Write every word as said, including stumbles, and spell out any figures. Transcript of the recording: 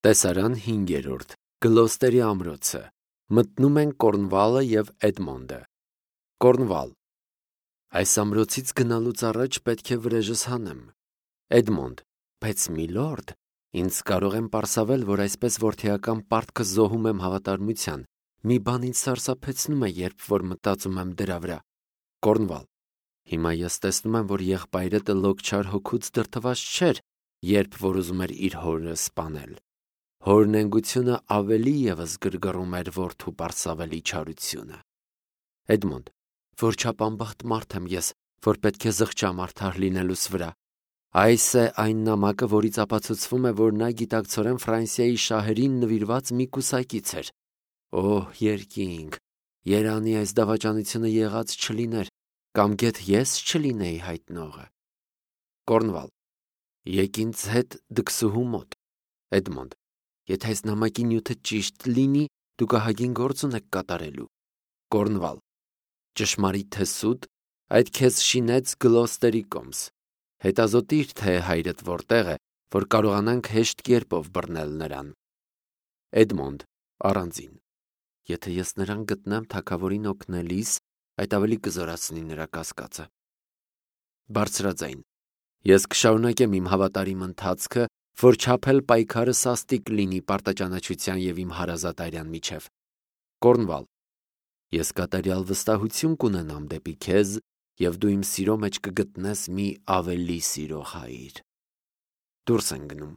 Տեսարան հինգերորդ. Գլոստերի ամրոցը։ Մտնում են Կորնվալը և Էդմոնդը։ Կորնվալ. Այս ամրոցից գնալուց առաջ պետք է վրեժս հանեմ։ Էդմոնդ. Բայց միլորդ, ինձ կարող եմ պարսավել, որ այսպես որդեական պարտքը զոհում եմ հավատարմության։ Մի բան ինձ սարսափեցնում է, երբ որ մտածում եմ դրա վրա։ Կորնվալ. Հիմա ես տեսնում եմ, որ եղբայրդ լոկչար հոգուց դրդված չէր, երբ որ ուզում էր իր հորը սպանել։ Հոր նենգությունը ավելի ևս գրգռում էր որդու պարսավելի չարությունը։ Էդմոնդ. Որչափ անբախտ մարդ եմ ես, որ պետք է զղջամ արդար լինելուս վրա։ Այս է այն նամակը, որից ապացուցվում է, որ նա գիտակցորեն Ֆրանսիայի շահերին նվիրված մի կուսակից էր։ Օհ, երկինք, երանի այս դավաճանությունը եղած չլիներ, կամ գեթ ես չլինեի հայտնողը։ Կորնվալ. Եկ ինձ հետ դքսուհու մոտ։ Էդմոնդ. Եթե այս նամակի նյութը ճիշտ լինի, դուք ահագին գործ ունեք կատարելու։ Կորնվալ. Ճշմարիտ թե սուտ, այդ քեզ շինեց Գլոստերի կոմս։ Հետազոտիր, թե հայրդ որտեղ է, որ կարողանանք հեշտ կերպով բռնել նրան։ Էդմոնդ առանձին. Եթե ես նրան գտնեմ թագավորին օգնելիս, այդ ավելի կզորացնի նրա կասկածը։ Բարձրաձայն. Ես կշարունակեմ իմ հավատարիմ ընթացքը, որ չափել պայքարը սաստիկ լինի պարտաճանաչության և իմ հարազատ արյան միջև։ Կորնվալ. Ես կատարյալ վստահություն կունենամ դեպի քեզ, և դու իմ սիրո մեջ կգտնես մի ավելի սիրող հայր։ Դուրս են գնում։